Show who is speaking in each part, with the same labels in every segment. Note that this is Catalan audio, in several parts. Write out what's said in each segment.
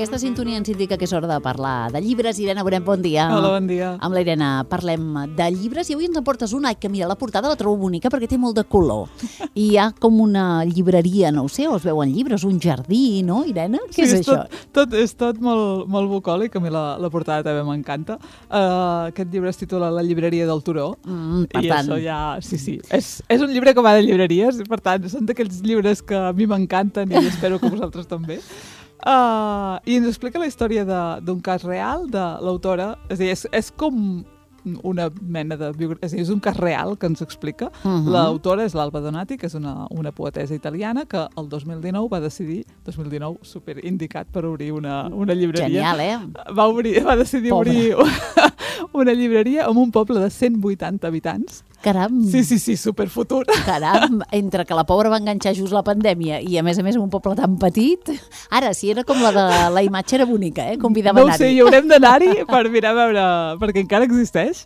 Speaker 1: Aquesta sintonia ens indica que és hora de parlar de llibres. Irene Bonet, bon dia.
Speaker 2: Hola, bon dia.
Speaker 1: Amb la Irene parlem de llibres i avui ens en portes una que, mira, la portada la trobo bonica perquè té molt de color. I hi ha com una llibreria, no ho sé, o es veuen llibres, un jardí, no, Irene? Què és això?
Speaker 2: És tot molt bucòlic, a mi la portada també m'encanta. Aquest llibre es titula La llibreria del Turó.
Speaker 1: Per
Speaker 2: I
Speaker 1: tant...
Speaker 2: això ja... Sí. És un llibre que va de llibreries, per tant, són d'aquells llibres que a mi m'encanten i espero que vosaltres també. I ens explica la història d'un cas real de l'autora. És a dir, és com una mena de biografia, és a dir, és un cas real que ens explica. L'autora és l'Alba Donati, que és una poetessa italiana que el 2019 va decidir, 2019 super indicat per obrir una llibreria.
Speaker 1: Genial,
Speaker 2: Va decidir obrir una llibreria en un poble de 180 habitants.
Speaker 1: Caram!
Speaker 2: Sí, superfutur.
Speaker 1: Caram, entre que la pobra va enganxar just la pandèmia i a més un poble tan petit. Ara, si era com la imatge era bonica, convidava a anar-hi.
Speaker 2: No ho sé, hi haurem d'anar-hi per mirar a veure, perquè encara existeix.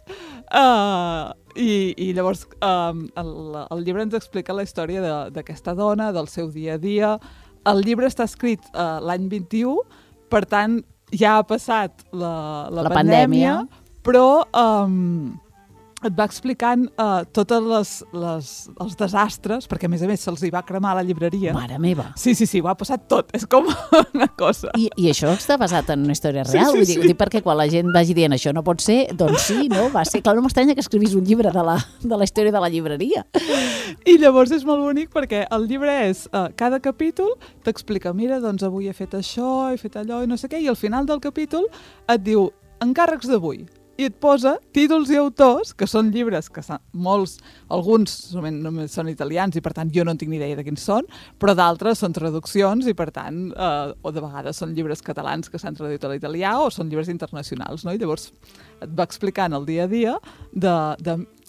Speaker 2: I llavors el llibre ens explica la història d'aquesta dona, del seu dia a dia. El llibre està escrit l'any 21, per tant ja ha passat la pandèmia, però et va explicant tots els desastres, perquè a més se'ls hi va cremar la llibreria.
Speaker 1: Mare meva!
Speaker 2: Sí, ho ha passat tot, és com una cosa.
Speaker 1: I això està basat en una història real?
Speaker 2: Sí.
Speaker 1: Vull dir, perquè quan la gent vagi dient això no pot ser, doncs sí, no? Va ser, clar, no m'estranya que escrivís un llibre de la història de la llibreria.
Speaker 2: I llavors és molt bonic perquè el llibre és, cada capítol t'explica, mira, doncs avui he fet això, he fet allò i no sé què, i al final del capítol et diu encàrrecs d'avui. I et posa títols i autors, que són llibres que alguns només són italians i per tant jo no en tinc ni idea de quins són, però d'altres són traduccions i per tant, o de vegades són llibres catalans que s'han traduït a l'italià o són llibres internacionals, no? I llavors et va explicant el dia a dia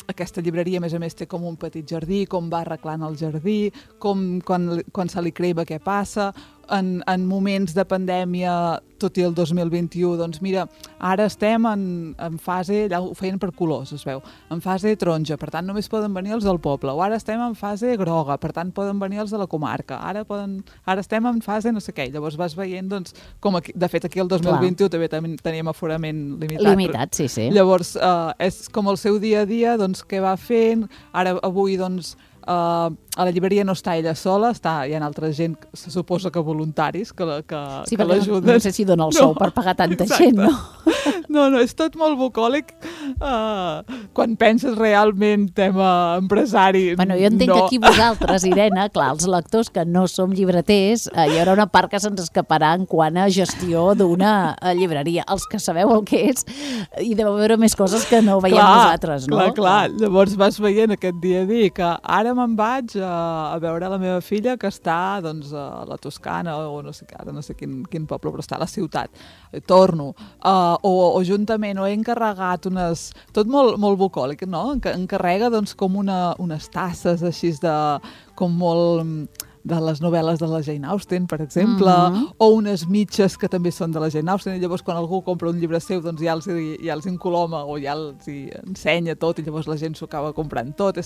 Speaker 2: aquesta llibreria, a més, té com un petit jardí, com va arreglant el jardí, com quan se li crema què passa, en moments de pandèmia, tot i el 2021, doncs mira, ara estem en fase, allà ho feien per colors, es veu, en fase taronja, per tant només poden venir els del poble, o ara estem en fase groga, per tant poden venir els de la comarca, ara estem en fase no sé què, llavors vas veient, doncs, com aquí, de fet aquí el 2021 també teníem aforament limitat.
Speaker 1: Limitat, sí.
Speaker 2: Llavors, és com el seu dia a dia, doncs, què va fent, ara avui, doncs, a la llibreria no està ella sola, hi ha altra gent, se suposa que voluntaris, que l'ajuden.
Speaker 1: No sé si dona el sou per pagar tanta gent, no?
Speaker 2: No, és tot molt bucòlic. Quan penses realment tema empresari,
Speaker 1: Bueno, jo entenc que aquí vosaltres, Irene, clar, els lectors que no som llibreters, hi haurà una part que se'ns escaparà en quant a gestió d'una llibreria. Els que sabeu el que és, hi deu haver més coses que no veiem nosaltres, no?
Speaker 2: Clar. Llavors vas veient aquest dia a dir que ara me'n vaig a veure la meva filla que està doncs, a la Toscana o no sé quin poble, però està a la ciutat. Torno. O juntament, o he encarregat tot molt bucòlic, no? Encarrega doncs, com unes tasses així com molt de les novel·les de la Jane Austen, per exemple, o unes mitges que també són de la Jane Austen, i llavors quan algú compra un llibre seu doncs ja els incoloma o ja els ensenya tot i llavors la gent s'ho acaba comprant tot.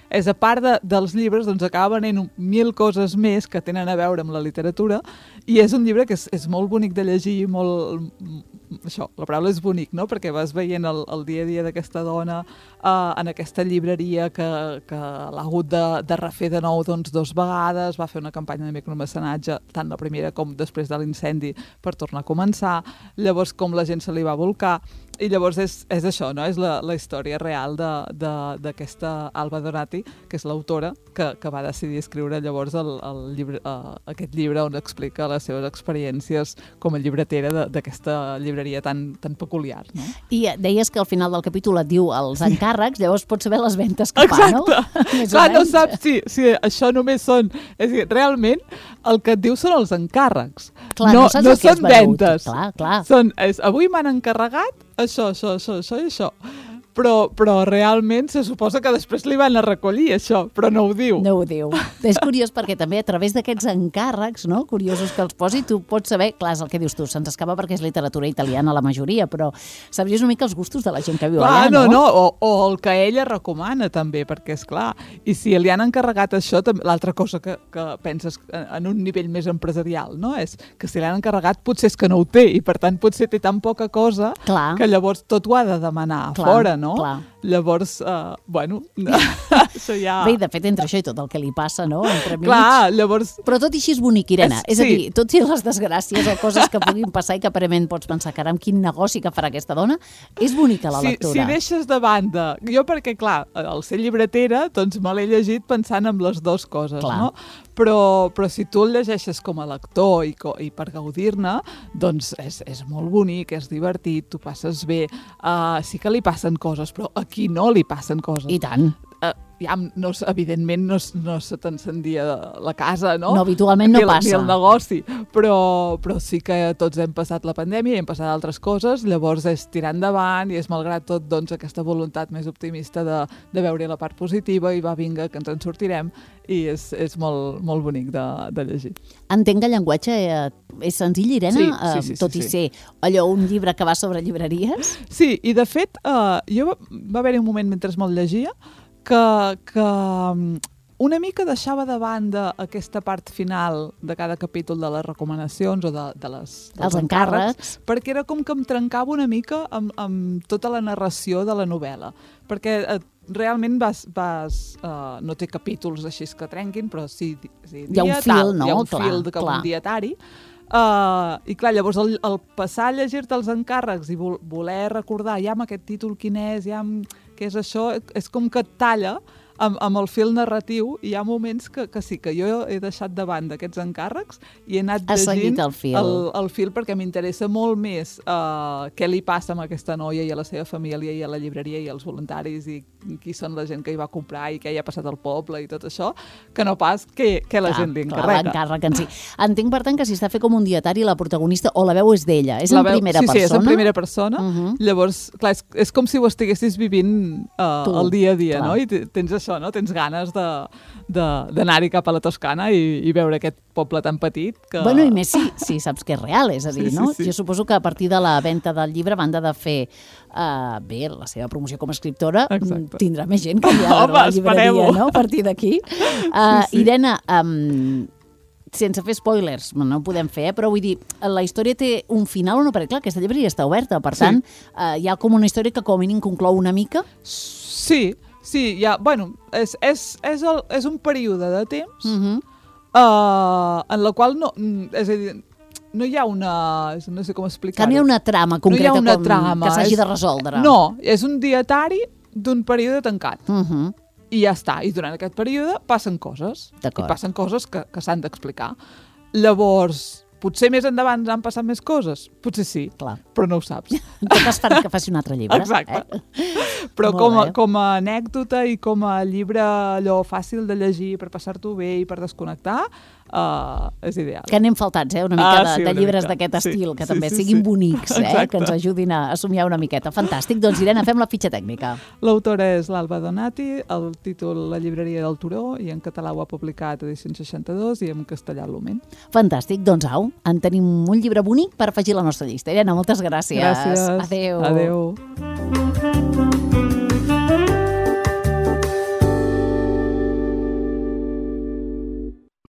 Speaker 2: És a part dels llibres, doncs acaba venent 1000 coses més que tenen a veure amb la literatura i és un llibre que és molt bonic de llegir, la paraula és bonic, no? Perquè vas veient el dia a dia d'aquesta dona en aquesta llibreria que l'ha hagut de refer de nou doncs 2 vegades, va fer una campanya de micromecenatge, tant la primera com després de l'incendi, per tornar a començar, llavors com la gent se li va volcar, i llavors és això, no? És la història real d'aquesta Alba Donati, que és l'autora, que va decidir escriure llavors aquest llibre on explica les seves experiències com a llibretera d'aquesta llibreria tan peculiar, no?
Speaker 1: I deies que al final del capítol et diu els encàrrecs, llavors pots saber les ventes que fa, no?
Speaker 2: Clar, no saps si això només són... És a dir, realment el que et diu són els encàrrecs.
Speaker 1: Clar,
Speaker 2: no
Speaker 1: són
Speaker 2: ventes.
Speaker 1: Clar.
Speaker 2: Avui m'han encarregat això i això. però realment se suposa que després li van a recollir això, però no ho diu.
Speaker 1: No ho diu. És curiós perquè també a través d'aquests encàrrecs, no?, curiosos que els posi, tu pots saber, clar, és el que dius tu, se'ns escapa perquè és literatura italiana la majoria, però sabries una mica els gustos de la gent que viu allà, no?
Speaker 2: No, o el que ella recomana també, perquè és clar, i si li han encarregat això, l'altra cosa que penses en un nivell més empresarial, no?, és que si li han encarregat potser és que no ho té, i per tant potser té tan poca cosa que llavors tot ho ha de demanar fora, no?
Speaker 1: Clar.
Speaker 2: Llavors, això ja...
Speaker 1: Bé, de fet, entre això i tot el que li passa, no?, entremig.
Speaker 2: Clar, llavors...
Speaker 1: Però tot i així és bonic, Irene. És a dir, tot i les desgràcies o coses que puguin passar i que aparentment pots pensar, caram, quin negoci que farà aquesta dona, és bonica la lectura.
Speaker 2: Si deixes de banda... Jo perquè, clar, al ser llibretera, doncs me l'he llegit pensant en les dues coses, no? Però si tu el llegeixes com a lector i per gaudir-ne, doncs és molt bonic, és divertit, tu passes bé, sí que li passen coses, però a qui no li passen coses?
Speaker 1: I tant.
Speaker 2: Evidentment no se t'encendia la casa, no?
Speaker 1: No, habitualment no passa.
Speaker 2: Ni el negoci, però sí que tots hem passat la pandèmia i hem passat altres coses, llavors és tirar endavant i és malgrat tot doncs, aquesta voluntat més optimista de veure la part positiva i va, vinga, que ens en sortirem, i és molt, molt bonic de llegir.
Speaker 1: Entenc que el llenguatge és senzill, Irene,
Speaker 2: sí,
Speaker 1: tot i ser allò un llibre que va sobre llibreries?
Speaker 2: Sí, i de fet, va haver-hi un moment mentre me'l llegia que una mica deixava de banda aquesta part final de cada capítol de les recomanacions o dels encàrrecs, perquè era com que em trencava una mica amb tota la narració de la novel·la, perquè realment no té capítols així que trenquin, però sí,
Speaker 1: hi ha un fil, no?
Speaker 2: Hi ha un fil com un dietari. I clar, llavors el passar a llegir-te els encàrrecs i voler recordar ja amb aquest títol quin és, ja què és això, és com que et talla amb el fil narratiu, i hi ha moments que sí, que jo he deixat de banda aquests encàrrecs i he anat llegint el fil perquè m'interessa molt més què li passa a aquesta noia i a la seva família i a la llibreria i als voluntaris i qui són la gent que hi va comprar i què hi ha passat al poble i tot això, que no pas què la gent li encarrega.
Speaker 1: L'encàrrec en si. Entenc, per tant, que si està fet com un dietari, la protagonista o la veu és d'ella, és en primera persona?
Speaker 2: Sí, és en primera persona. Llavors, clar, és com si ho estiguessis vivint el dia a dia, no? I tens això, no? Tens ganes d'anar-hi cap a la Toscana i veure aquest poble tan petit que...
Speaker 1: Bueno, i més si saps que és real, és a dir, no? Jo suposo que a partir de la venda del llibre, a banda de fer bé la seva promoció com a escriptora, tindrà més gent que hi ha a la llibreria, no? A partir d'aquí. Irene, sense fer spoilers, no ho podem fer, però vull dir, la història té un final o no? Perquè clar, aquesta llibreria està oberta, per tant, hi ha com una història que com a mínim conclou una mica?
Speaker 2: Sí, bueno, és un període de temps en la qual no, és a dir, no hi ha una... no sé com explicar-ho.
Speaker 1: Que no hi ha una trama concreta que s'hagi de resoldre.
Speaker 2: No, és un dietari d'un període tancat. I ja està. I durant aquest període passen coses. I passen coses que s'han d'explicar. Llavors, potser més endavant han passat més coses? Potser sí, però no ho saps.
Speaker 1: En tot cas farà que faci un altre llibre.
Speaker 2: Exacte. Però com a anècdota i com a llibre allò fàcil de llegir per passar-t'ho bé i per desconnectar, és ideal.
Speaker 1: Que anem faltats, una mica de llibres d'aquest estil, que també siguin bonics, que ens ajudin a somiar una miqueta. Fantàstic. Doncs, Irene, fem la fitxa tècnica.
Speaker 2: L'autora és l'Alba Donati, el títol La llibreria del Turó, i en català ho ha publicat Edicions 62 i en castellà l'Oment.
Speaker 1: Fantàstic. Doncs au, en tenim un llibre bonic per afegir a la nostra llista. Irene, moltes gràcies.
Speaker 2: Gràcies.
Speaker 1: Adéu.
Speaker 2: Adéu.